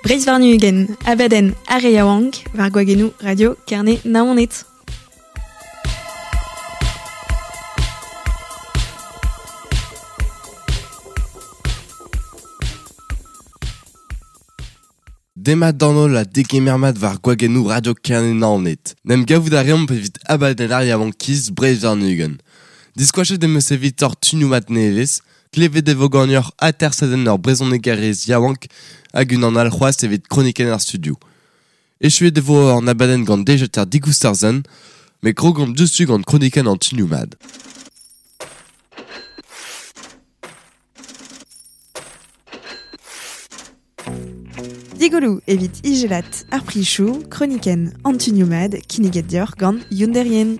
Breizh warn-ugent, abadenn ar re yaouank, war gwagennoù Radio Kerne Naoned. Demat d'an holl ha degemer mat war gwagennoù Radio Kerne Naoned. N'em gavout a reomp evit abadenn ar yaouankiz Breizh warn-ugent. Diskoachet em eus evitoc'h tunioù mat nevez, klevet e vo ganeoc'h atersadenn ur brezhonegerez yaouank hag unan all c'hoazh evit kronikenn ar studio. Echuet e vo an abadenn gant dejeter digoust ar sen, met krogomp diouzhtu gant kronikenn an tunioù mat. Digoloù evit ijelat ar prichoù, kronikenn an tunioù mat kinniget deoc'h gant Youn Derrien.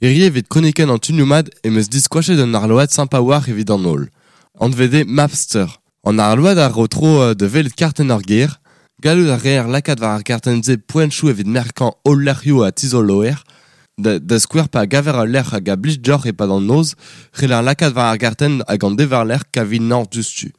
Hirie evit kronikenn an tunioù mat em eus diskoachet un arload sympa a-walc'h evit an holl. Anvet eo Mapster. An arload a ro tro da welet kartenn ur gêr. Gallout a reer lakaat war ar gartenn-se poentoù evit merkañ holl lec'hioù ha tizoloer. Da skouer pa gaver ul lec'h hag a blij deoc'h e-pad an noz, c'heller lakaat war ar gartenn hag an dever-lec'h kavit nañ diouzhtu.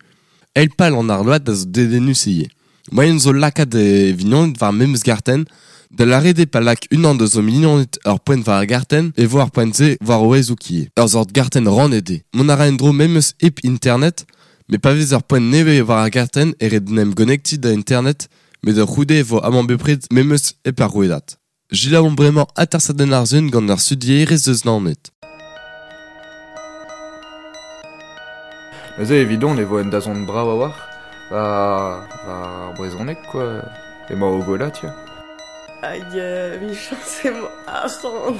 Eil pal an arload a zo dedennus ivez. Moaien zo lakaat e vignoned war memes gartenn, da lâret eo pa lak unan deus o mignoned ur poent war ar gartenn e vo ar poent-se war o hezoug ivez. Ur seurt gartenn rannet eo. Mont a ra en-dro memes hep internet, met pa vez ur poent nevez war ar gartenn e ret en em gonektiñ da internet, met da c'houde e vo amañ bepred memes hep ar rouedad. Selaouomp bremañ atersadenn ar sun gant ar studierez eus Naoned. Neuze evidon e vo un dazont brav a-walc'h war war ar brezhoneg quoi. Emañ o gwellañ tiens. Hag emichañs emañ arc'hant.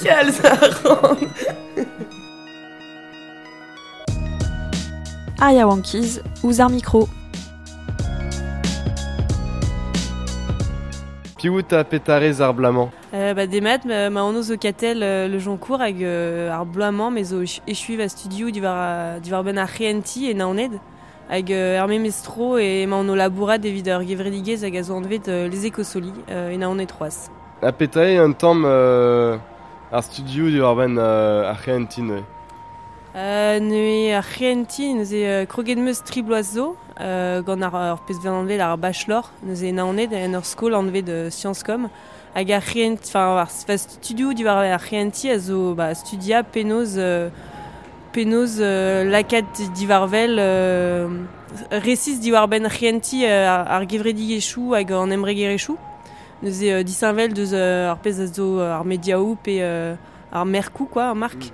Kalz arc'hant. Ar yaouankiz ouzh ar mikro. Piv out ha petra rez ar bloaz-mañ? Ba demat, ma anv zo Katell Le Joncourt hag ar bloaz-mañ me zo echuiñ va studioù diwar diwar-benn ar c'hehentiñ e Naoned. Hag er memes tro emaon o labourat evit ur gevredigezh hag a zo anvet Les Écosolis e Naoned c'hoazh. Ha petra eo un tamm ar studioù diwar-benn ar c'hehentiñ neuze? Neuze ar c'hehentiñ neuze kroget 'm eus tri bloaz zo gant ar pezh 'vez anvet ar bachelor neuze e Naoned en ur skol anvet Sciences Com. Hag ar c'hehent enfin ar studioù diwar ar c'hehentiñ a zo ba studiañ penaos penaos lakaat diwar-wel resis diwar-benn c'hehentiñ ar gevredigezhioù hag an embregerezhioù. Neuze disheñvel deus ar pezh a zo ar mediaoù pe ar merkoù quoi, ar mark.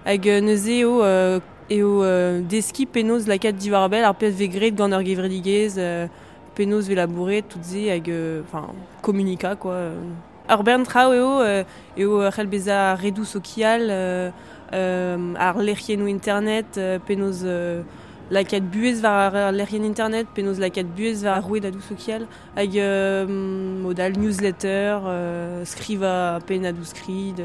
Hag neuze eo eo deskiñ penaos lakaat diwar-bell ar pezh 'vez graet gant ur gevredigezh, penaos 'vez labouret tout se hag enfin komunikañ quoi. Ur bern traoù eo eo c'hell bezañ redoù sokial, ar lec'hiennoù internet, penaos lakaat buhez war ar lec'hienn internet, penaos lakaat buhez war ar rouedadoù sokial hag mod all newsletter, skrivañ pennadoù-skrid.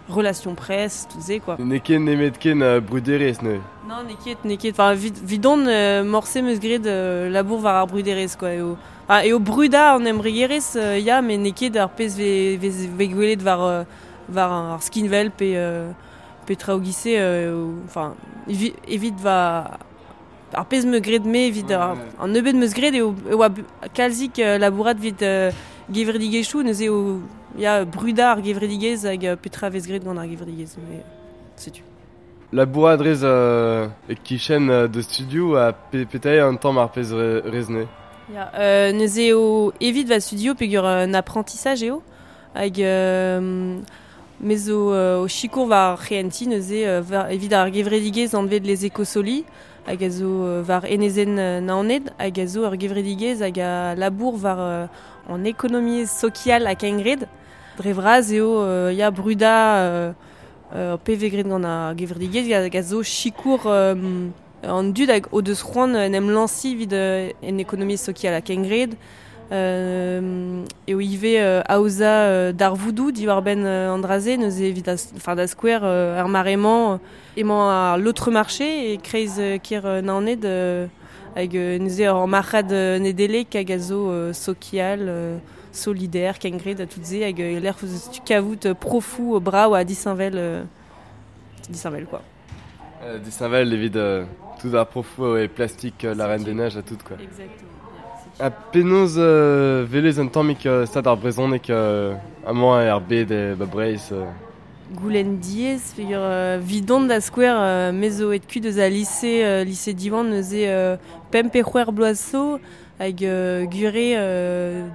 Relation presse, tout se quoi. N'eo ket nemetken bruderezh neuze. Non, n'eo ket, n'eo ket. Enfin, 'vidon morse 'm eus graet labour war ar bruderezh quoi. Eo, enfin, eo brudañ an embregerezh ya, met n'eo ket ar pezh 'vez vez gwelet war war ar skinwel pe pe traoù giz-se. Enfin, evit va ar pezh 'm eus graet me evit an nebeud 'm eus graet eo e oa kalzik labourat evit gevredigezhioù neuze eo ya brudañ ar gevredigezh hag petra 'vez graet gant ar gevredigezh mais setu. Labourat 'rez e-kichen da studioù ha petra eo un tamm ar pezh 'rez neuze? Ya, neuze eo evit va studio peogwir un apprentissage eo hag me zo o sikour war ar c'hehentiñ neuze evit ar gevredigezh anvet Les Écosolis hag a zo war enezenn Naoned hag a zo ur gevredigezh hag a labour war an ekonomiezh sokial ha kengred. Dre vras eo ya brudañ pe vez graet gant ar gevredigezh hag a zo sikour an dud hag o deus c'hoant en em lañsiñ evit en ekonomiezh sokial ha kengred. Eo ivez aozañ darvoudoù diwar-benn an dra-se neuze evit enfin da skouer ar mare-mañ emañ ar L'autre marché e-kreiz kêr Naoned hag neuze ur marc'had Nedeleg hag a zo sokial, solidaire, kengred ha tout se hag e-lec'h eus tu kavout profoù brav ha disheñvel. disheñvel quoi. Disheñvel evit tout ar profoù e plastik la Reine des Neiges ha tout quoi. Exactement. Ha penaos velez un tammig stad ar brezhoneg amañ er bed e ba Breizh. Goulenn diaes peogwir 'vidon da skouer me zo aet kuit eus al lise lise Diwan neuze pemp pe c'hwec'h bloaz zo hag gure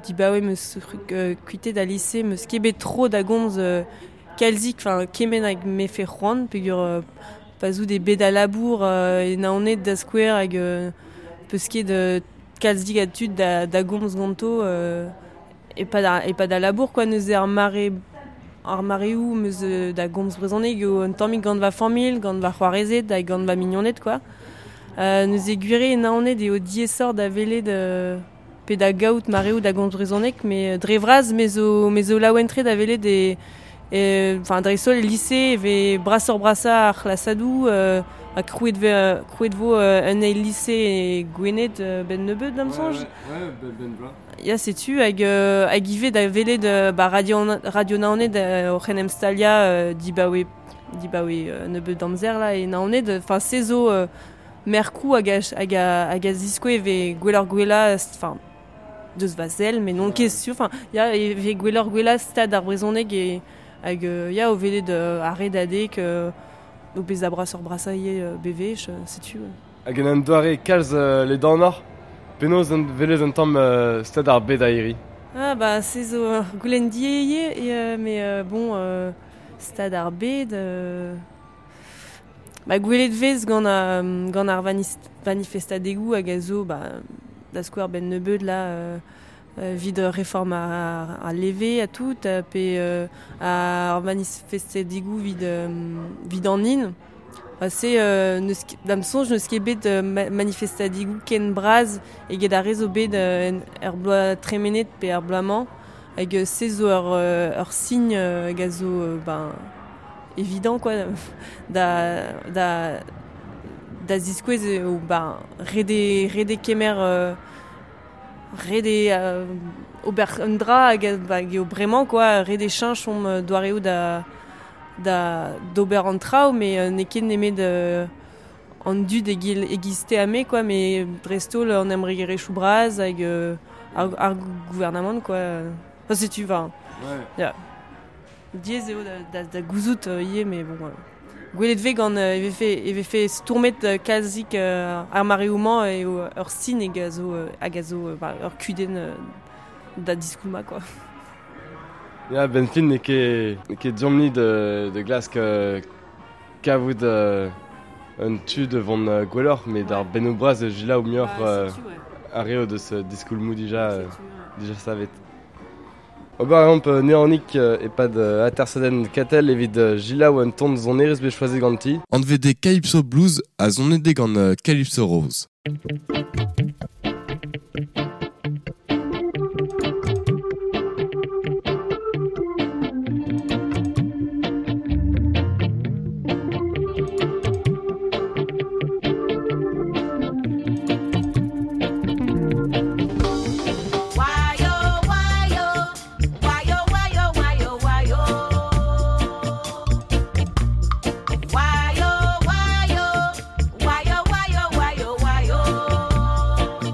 dibaoe 'm eus kuitaet al lise 'm eus ket bet tro da gomz kalzik enfin kement hag 'mefe c'hoant peogwir pa 'z out e bed al labour e Naoned da skouer hag 'peus ket kalzik a tud da gomz ganto e-pad al labour quoi neuze ar mare ar mareoù 'm eus da gomz brezhoneg eo un tammig gant va familh, gant va c'hoarezed hag gant va mignoned quoi. Neuze gwir eo e Naoned eo diaesoc'h da welet pe da gaout mareoù da gomz brezhoneg met dre vras me zo laouen-tre da welet e enfin dreist-holl e lise e vez brasoc'h-brasañ ar c'hlasadoù ha krouet krouet vo un eil lise e Gwened 'benn nebeut da'm soñj. Ouais, ben bloaz. Ya setu hag hag ivez da welet ba Radio Naoned oc'h en em staliañ dibaoe dibaoe nebeut amzer là e Naoned. Enfin se zo merkoù hag a hag a hag a ziskouez e vez gwelloc'h-gwellañ enfin deus va sell met n'on ket sur enfin ya e vez gwelloc'h-gwellañ stad ar brezhoneg e hag ya o welet ar Redadeg o bezañ brasoc'h-brasañ ivez bewech setu. Hag en un doare kalz ledanoc'h, penaos velez un tamm stad ar bed a-hiriv? Ah bah se zo ur goulenn diaes ivez met bon stad ar bed ba gwelet 'vez gant gant ar manifestadegoù hag a zo ba da skouer 'benn nebeut là evit reform ar leve ha tout pe ar manifestadegoù evit evit an hin. Se n'eus ket da'm soñj n'eus ket bet manifestadegoù ken bras eget ar re zo bet er bloaz tremenet pe er bloaz-mañ hag se zo ur sin hag a zo ben évident quoi da da da ziskouez eo ben ret eo ret eo kemer ret eo ober un dra hag hag eo bremañ quoi ret eo cheñch hon doareoù da da d'ober an traoù met n'eo ket nemet an dud e-giz te ha me quoi met dreist-holl an embregerezhioù bras hag ar gouarnamant quoi. Enfin setu enfin ya. Diaes eo da gouzout ivez met bon gwelet 'vez gant e vefe e vefe stourmet kalzik ar mareoù-mañ eo ur sin hag a zo hag a zo ba ur kudenn da diskoulmañ quoi. Ya 'benn fin n'eo ket n'eo ket deomp-ni da glask kavout un tu da vont gwelloc'h met ar bennoù bras a selaou muioc'h ar re o deus diskoulmoù dija dija savet. Ober a reomp neanik e-pad atersadenn Katell evit selaou un ton sonerezh bet choazet ganti. Anvet eo Calypso Blues ha sonet eo gant Calypso Rose. Why, oh, why, oh, why, oh, why, oh, why, oh, why, oh.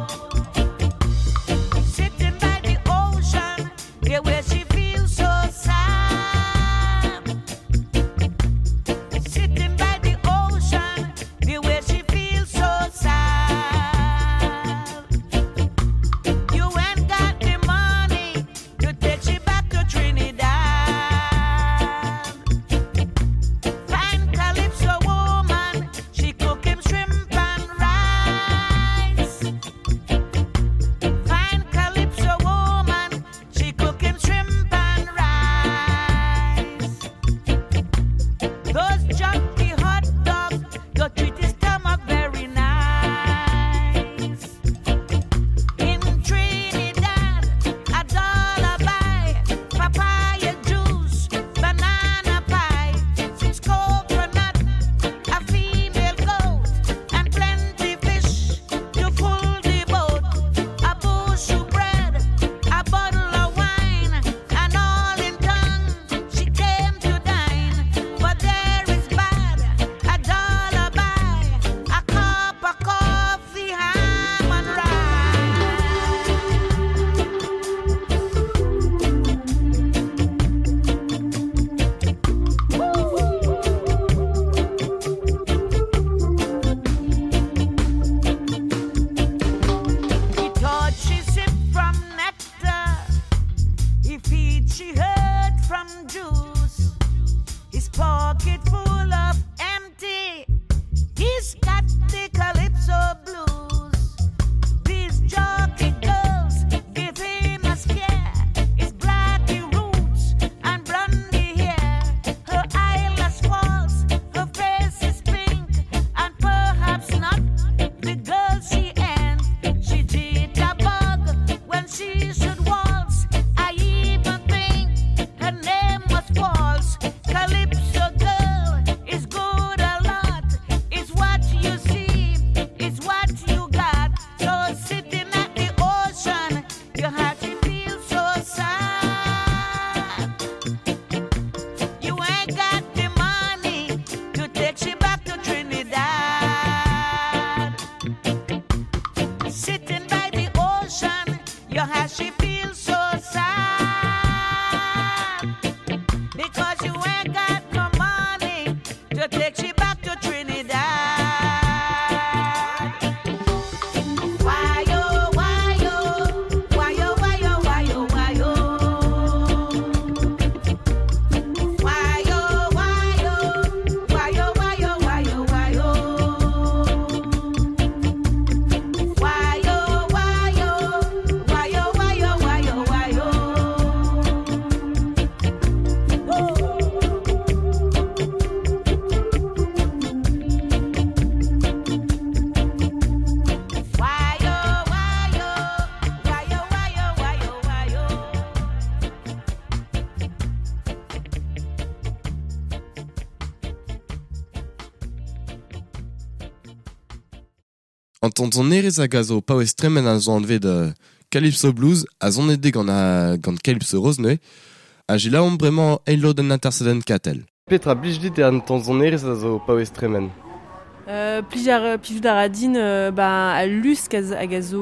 An ton sonerezh hag a zo paouez tremen a zo anvet Calypso Blues a zonede gant Calypso Rose neuze, ha jilaomp bremañ eil lodenn atersadenn Katell. Petra blij dit an ton sonerezh a zo paouez tremen? Plijout a ra din ba al lusk hag a zo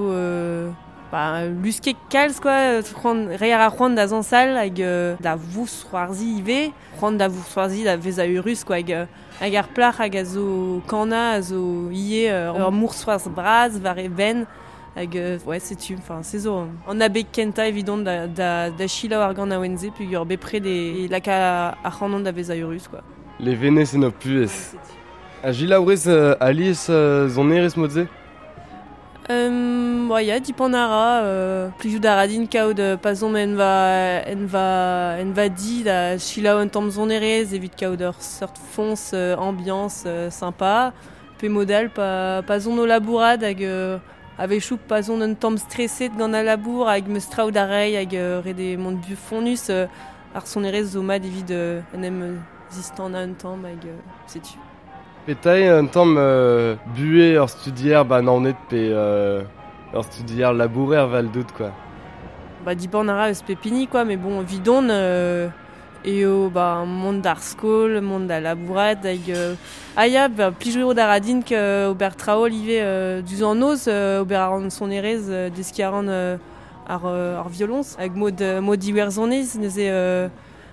ba luskek kalz quoi, c'hoant reiñ a ra c'hoant da zañsal hag da vousc'hoarzhiñ ivez, c'hoant da vousc'hoarzhiñ da vezañ eurus quoi, hag ar plac'h hag a zo kanañ a zo ivez ur mousc'hoarzh bras war e benn hag ouais setu, enfin se zo an abeg kentañ evidon da selaou ar ganaouenn-se peogwir bepred e laka ar c'hanon da vezañ eurus quoi. Levenez en ho puhez. Ha jilaourez alies sonerezh mod-se? Ba ya, dipant a ra, plijout a ra din kaout pa zomp en va di da selaou un tamm sonerezh evit kaout ur seurt foñs ambiance sympa, pe modal pa zon o labourat hag a-wechoù pa zon un tamm streset gant al labour hag meus traoù da reiñ hag ret eo mont bufonus ar sonerezh zo mat evit en em zistanañ un tamm hag setu. Petra eo un tamm buhez ur studier ba Naoned pe ur studier labourer 'vel-dout quoi? Ba dipant a ra eus pep hini quoi, mais bon 'vidon eo ba mont d'ar skol, mont da labourat hag ah ya, ba plijout a ra din ober traoù ivez diouzh an noz, ober a ran sonerezh, deskiñ a ran ar violoñs hag mod iwerzhoniz neuze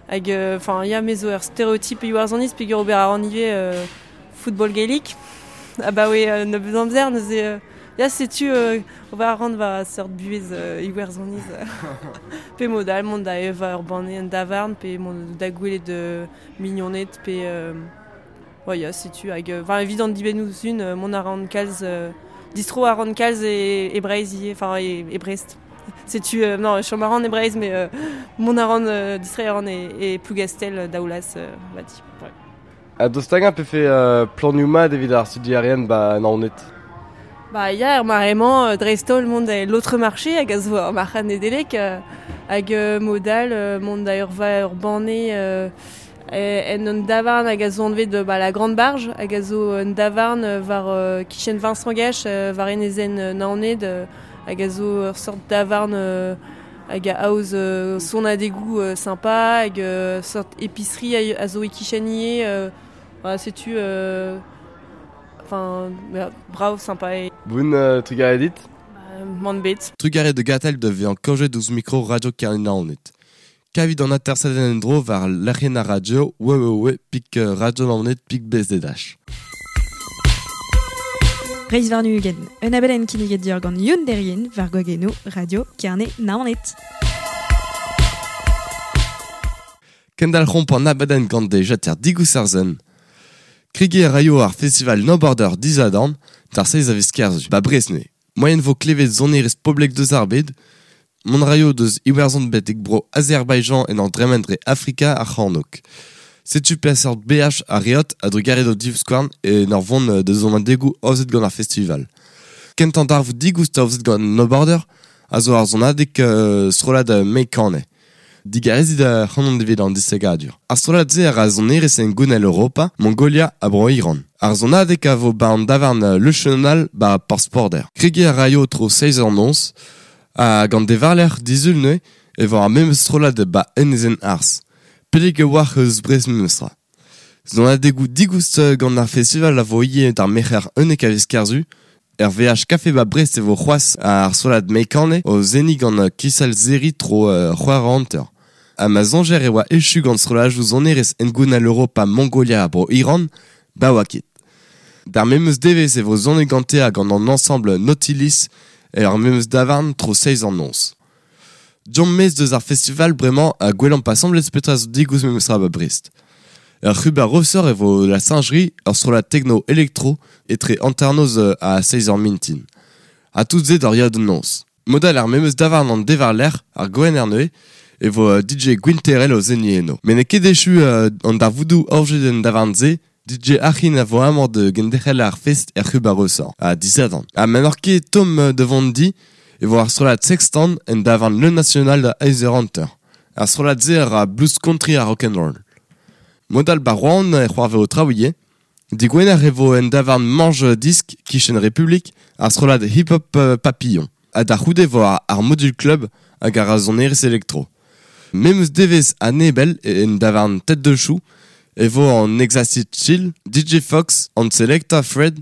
hag enfin ya me zo ur stereotype iwerzhoniz peogwir ober a ran ivez football gaelic abaoe nebeut amzer neuze ya setu ober a ran va seurt buhez iwerzhoniz pe mod all mont da evañ ur banne en davarn pe mont da gwelet mignoned pe ouais ya setu hag enfin evit an dibennoù-sizhun mont a ran kalz distro a ran kalz e Breizh ivez enfin e Brest. Setu non chom a ran e Breizh mais mont a ran distreiñ a ran e Plougastel Daoulaz va di. Ouais. Ha daoust hag-eñ pefe planioù mat evit ar studierien ba Naoned? Ba ya, er mare-mañ dreist-holl mont da l'autre marché hag a zo ar marc'had Nedeleg hag mod all mont da ur banne en un davarn hag a zo anvet ba la Grande Barge hag a zo un davarn war kichen Vincent Gache war enezenn Naoned hag a zo ur seurt davarn hag a aoz sonadegoù sympa hag seurt épicerie a zo e-kichen ivez ba setu enfin brav sympa e. Boun trugarez dit? Mann bet. Trugarez de Gatell da vezañ kaojet ouzh mikro Radio Kerne Naoned. Kavit an atersadenn en-dro war lec'hienn ar radio www.radionaoned.bzh. Breizh warn-ugent, un abadenn kinniget deoc'h gant Youn Derrien war gwagennoù Radio Kerne Naoned. Kendalc'homp an abadenn gant dejater Digousarzen. Kregiñ a raio ar festival No Border disadorn d'ar seizh a viz Kerzu, ba Brest neuze. Moaien vo klevet sonerezh poblek deus ar bed, mont raio deus Iwerzhon betek bro Azerbaïdjan en ur dremen dre Afrika ar C'hornôg. Setu peseurt BH a reot a-drugarez d'o divskouarn en ur vont deus sonadegoù aozet gant ar festival. Kentañ darvoud digoust aozet gant No Border a zo ar sonadeg strollad Meikane. Digarezit ar c'hanon evit an disegadur. Ar strollad-se a ra sonerezh en gounell Europa, Mongolia ha bro Iran. Ar sonadeg a vo ba an davarn Le Chenal ba Porzh-Porder. Kregiñ a raio tro seizh eur noz hag an devarlec'h disul neuze e vo ar memes strollad ba enezenn Arz. Pellik e oac'h eus Brest memestra. Sonadegoù digoust gant ar festival a vo ivez d'ar merc'her 11 a viz Kerzu. Er VH Café ba Brest e vo c'hoazh ar strollad Meikane o seniñ gant Kisal Zeri tro c'hwec'h hanter. Ha ma soñjer e oa echu gant strollajoù sonerezh hengounel Europa Mongolia ha bro Iran, ba oa ket. D'ar memes devezh e vo sonet gante ha gant an ensemble Nautilus er memes davarn tro seizh an noz. Deomp maez deus ar festival bremañ ha gwelomp asambles petra zo digoust memestra ba Brest. Ur c'hub ar Rosor e vo la Singerie, ur strollad tekno elektro etre hanternoz ha seizh eur mintin. Ha tout se d'ar yaou da noz. Modal ar memes davarn an devarlerc'h, ar Gwener neuze, e vo DJ Gwinterel o seniñ eno. Met n'eo ket echu an darvoudoù orjet en davarn-se, DJ Achin a vo amañ da genderc'hel ar fest er c'hub ar Rosor, ha disadorn. Ha ma n'oc'h ket tomm da vont di, e vo ar strollad Sextant en davarn Le National da eizh eur hanter. Ar strollad-se a ra blues country ha rock'n'roll. Modal ba Rouen e c'hoarvez o traoù ivez. Digwener e vo en davarn Mange Disc kichen Republik ar strollad hip-hop Papillon. Ha da c'houde vo ar Module Club hag ar sonerezh elektro. Memes devez a Nebel en davarn Tête de Chou e vo an Exacit Chill, DJ Fox, an Selecta Fred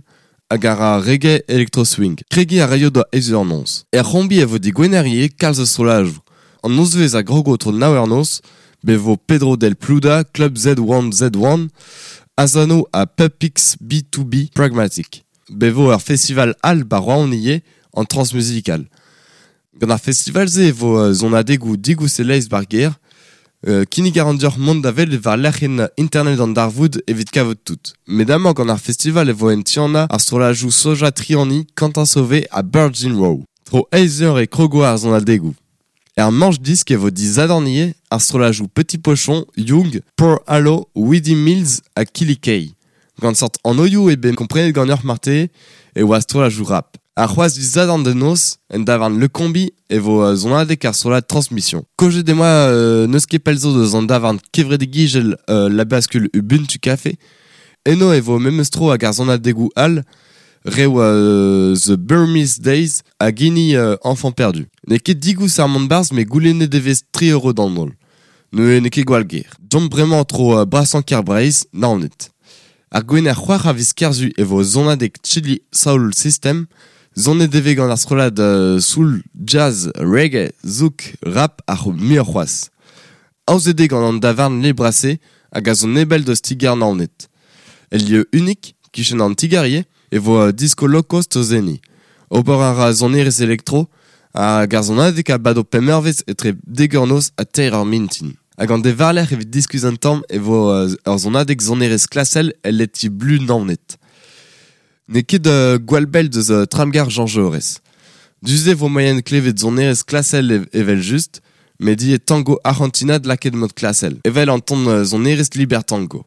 hag ar reggae electro swing. Kregi a raio da ez ur nonz. Er c'hombi e vo digwener ivez kalz eus strollajoù. An nozvezh a grogo tro nav eur noz, be vo Pedro del Pluda, Club Z1Z1, Asano ha Pupix B2B Pragmatic. Be vo ur festival al ba Rouen ivez an transmusical. Gant ar festival-se e vo zonadegoù digous e leizh bar gêr, kinnig a ran deoc'h mont da welet war lec'hienn internet an darvoud evit kavout tout. Met amañ gant ar festival e vo en Tiana ar strollajoù Soja Triani, Quentin Sauvé ha Virgin Row. Tro eizh eur e krogo ar zonadegoù. Er manche disk e vo disadorn ivez ar strollajoù Petit Pochon, Young, Poor Halo, Weedy Mills ha Killy Kay. Gant sort anvioù eo bet komprenet ganeoc'h marteze e oa strollajoù rap. Ar c'hoazh disadorn da noz, en davarn Le Combi, e vo sonadeg ar strollad Transmission. Kojet emañ n'eus ket pell zo deus an davarn kevredigezhel La Bascule Ubuntu Café. Eno e vo memes tro hag ar sonadegoù all, reoù The Burmese Days hag hini Enfant Perdu. N'eo ket digoust ar mont barzh met goulennet e vez 3 euro d'an holl. Neuze n'eo ket gwall ger. Deomp bremañ tro brasañ kêr Breizh, Naoned. Ar gwener c'hwec'h a viz Kerzu e vo sonadeg Chili Soul System, sonet e vez gant ar strollad soul, jazz, reggae, zouk, rap ha muioc'h c'hoazh. Aozet eo gant an davarn Le Brassé hag a zo nebell deus ti-gar Naoned. El lieu unik, kichen an ti-gar ivez, e vo disco low cost o seniñ. Ober a ra sonerezh elektro hag ar sonadeg a bado pemp eurvezh etre dek eur noz ha teir eur mintin. Hag an devarlec'h evit diskuizh un tamm e vo ur sonadeg sonerezh klasel el leti Blu Naoned. N'eo ket gwall bell deus tramgar Jean Jaurès. Du-se vo moaien klevet sonerezh klasel evel just, met ivez tango arc'hantinat lakaet mod klasel, evel an ton sonerezh liber tango.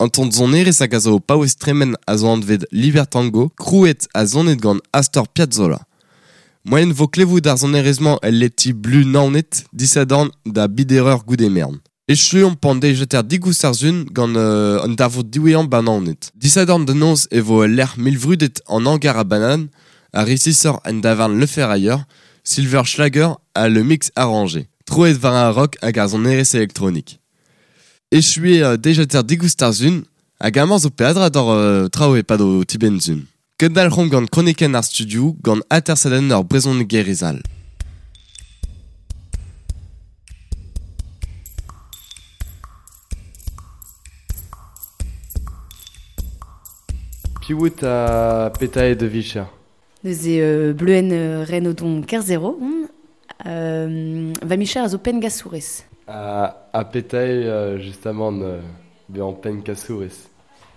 An ton zonerez hag a zo paouez tremen a zo anvet Libertango, krouet a zonet gant Astor Piazzolla. Moyen vo klevout ar zonerez-mañ el leti blu naonet disadorn da bidereur goudemern. Echuomp pan dejeter digoust ar zun gant an darvoud diwezhañ ba Naoned. Disadorn da noz e vo lec'h milvrudet an hangar a banan, a resisor en davarn Le Ferrailleur, Silver Schlager a le mix arrangé. Troet war ar rock hag ar sonerezh elektronik. Echuet dejeter digoust ar zun, hag amañ zo peadra d'or traoù e-pad o tibenn-zun. Kendalc'homp gant kronikenn ar studio gant atersadenn ur brezhonegerez all. Piwout a petae de vicher. Neuze bleuen Renaudon Kerzero, va micher a zo pengasourez. A petae justement bean pengasourez.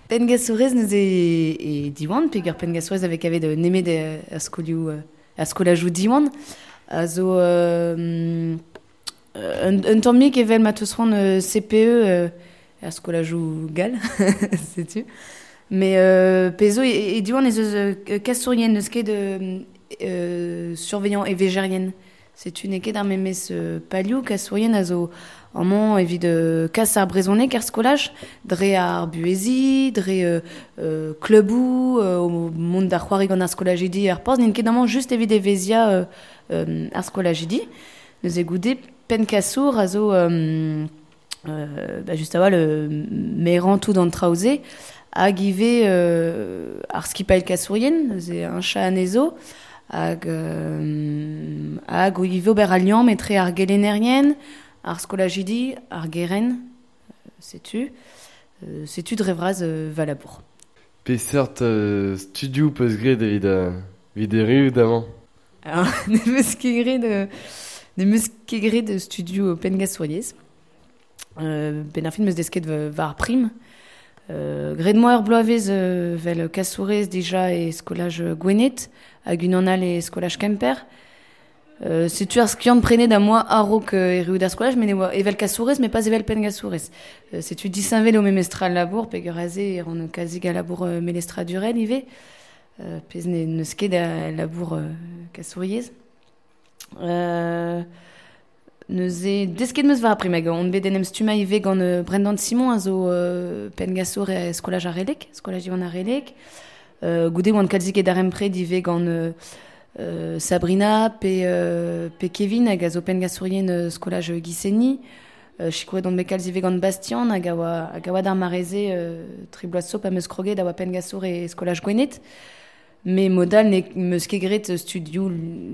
Pengasourez neuze e Diwan, peger pengasourez avec ave de nemet a skolioù a skolajou Diwan. A zo un tammig evel ma teus c'hoant CPE a skolajou gall, setu. Mais pezo e Diwan ez eus kasourien neus ket surveillant e vegerien. Setu n'eo ket ar memes palioù kasourien a zo amañ evit kas ar brezhoneg ar skolaj, dre ar buhezi, dre klubou, o mont da c'hoari gant ar skolajidi ar porzh, n'int ket amañ just evit evezia ar skolajidi. Neuze goude penn-kasour a zo just a-walc'h merañ tout an traoù-se, hag ivez ar skipailh kasourien, neuze un chat anezho, hag ivez ober al liamm etre ar gelennerien, ar skolajidi, ar geren, setu. Setu dre vras va labour. Peseurt studioù peus graet evit erru damañ? Alors, ne meus ket graet studioù pengasouriezh. Ben ar fin meus desket war prim. Graet moa ur bloavezh vel kasourez dija e skolaj Gwened hag unan all e skolaj Kemper. Setu ar skiant prenet a moa a-raok erru d'ar skolaj, met ne oa evel kasourez, met pas evel pengasourez. Setu disheñvel o memestra labour, peger aze e ran kazik a labour melestradurel ivez, pezh n'eus ket a labour kasouriezh. Neuze desket meus war ar prim hag on bet en em stummañ ivez gant Brendan Simon a zo pengasour e skolaj ar Relek, skolaj Diwan ar Relek. Goude oan kalzik e darempred ivez gant Sabrina pe Kevin hag a zo pengasourien skolaj Giseni. Sikouret on bet kalz ivez gant Bastien hag a oa d'ar mareze tri bloaz zo pa meus kroget a oa pengasour e skolaj Gwened. Me modal ne meus ket graet studioù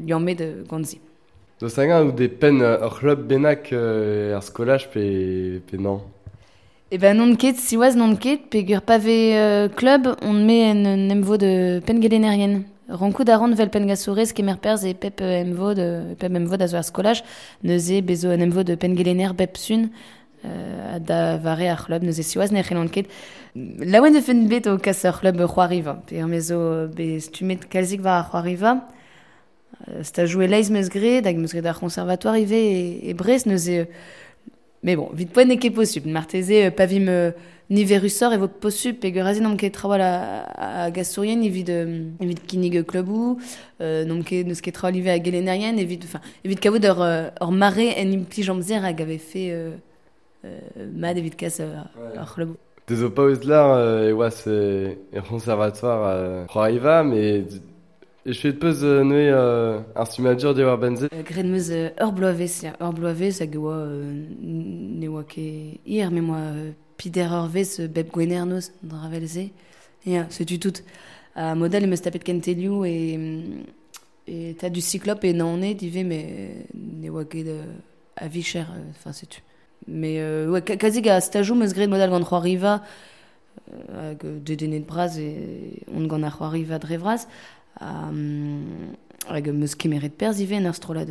liammet gant se. Deus hag-eñ out e penn ur c'hlub bennak ar skolaj pe non? Eh ben non ket, siwazh non ket, peogwir pa vez klub, on met en emvod penngelennerien. Rankout a ran vel pengasourez kemer perzh e pep emvod a zo ar skolaj, neuze bezo un emvod penngelenner bep sun da vare ar c'hlub, neuze siwazh ne c'hellan ket. Laouen e fen bet o kas ar c'hlub c'hoariva, peogwir me zo bet stummet kalzik war ar c'hoariva. Stajoù e-leizh meus graet, hag meus graet ar conservatoire ivez e Brest, neuze... Mais bon, vit poent n'eo ket posupl. Marteze, pa vim niverusoc'h e vo posupl, peogwir aze n'omp ket trawal a gasourien evit kinnig klubou, n'omp ket n'eus ket trawal ivez a gelennerien, evit kavout ur mare en implij amzer hag avait fait mat evit kas ar c'hlubou. Deus o paouez lar e oas e conservatoire c'hoariva, mais E chouet peus neuze ar stummadur diwar benze? Graet meus ur bloavezh, ya, ur bloavezh hag e oa ne oa ket hir, met moa pider ur vez bep gwener noz, dra vel-se. Ya, setu tout. A modal em eus tapet kentelioù e tad du Cyclope e Naoned ivez, met ne oa ket a vicher, enfin setu. Mais ouais, kazik a stajoù meus graet modal gant c'hoariva, hag dedennet bras e on gant ar c'hoariva dre vras. Hag meus kemeret perzh ivez en ur strollad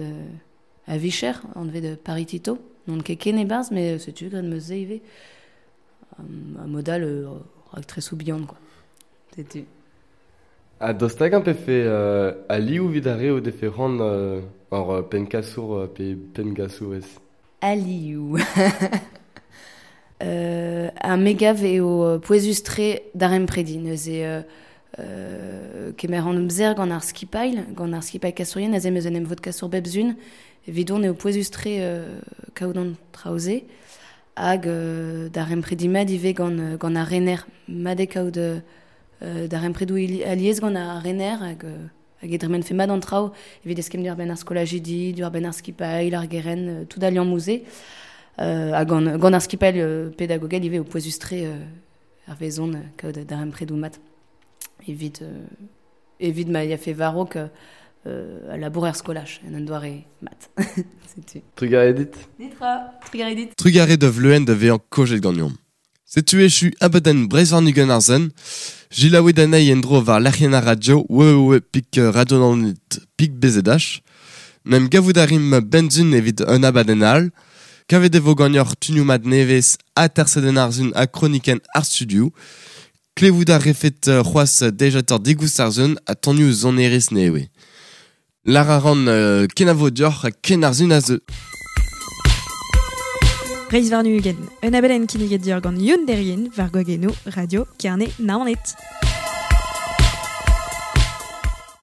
a vicher, anvet de Paris Tito. Non ket ken e-barzh, met setu graet meus se ivez. A modal raktresoù bihan, quoi. Setu. Ha daoust hag-eñ pefe alioù evit ar re o defe c'hoant ur pennkasour pe penngasourez? Alioù. A megav eo pouezus-tre darempredi, neuze kemer an amzer gant ar skipail, gant ar skipail kasourien, aze meus en em vod kasour bep zun, evidon eo pouezus-tre kaout an traoze, hag darempredi mat ivez gant ar rener, mat eo kaout darempredou alies gant ar rener, hag hag e dremen fe mat an traoù, evit eskemm diwar benn ar skolajidi, diwar benn ar skipail, ar geren, tout al liamm-se. Ha gant ar skipail pedagogel ivez o pouezus-tre ar vezon kaout darempredou mat. Evit ma ya fe varok a labour er skolaj, en un doare mat. Setu. Trugarez dit. Netra, trugarez dit. Trugarez da vleuen da vezañ kojet ganeomp. Setu echu abadenn Breizh warn-ugent ar zen. Jilaouet anezhi en-dro war lec'hienn ar radio www.radionaoned.bzh. N'em gavout a rimp benzun evit un abadenn all. Kavet e vo ganeoc'h tunioù mat nevez ha tersedenn ar zun ha kronikenn ar studio. Klevout a refet c'hoazh dejator digoust ar zun ha tonioù sonerezh nevez. Lar a ran kenavo deoc'h ha ken ar zun a zeu. Breizh warn-ugent, un abadenn kinniget deoc'h gant Youn Derrien war Gwagenno, Radio Kerne Naoned.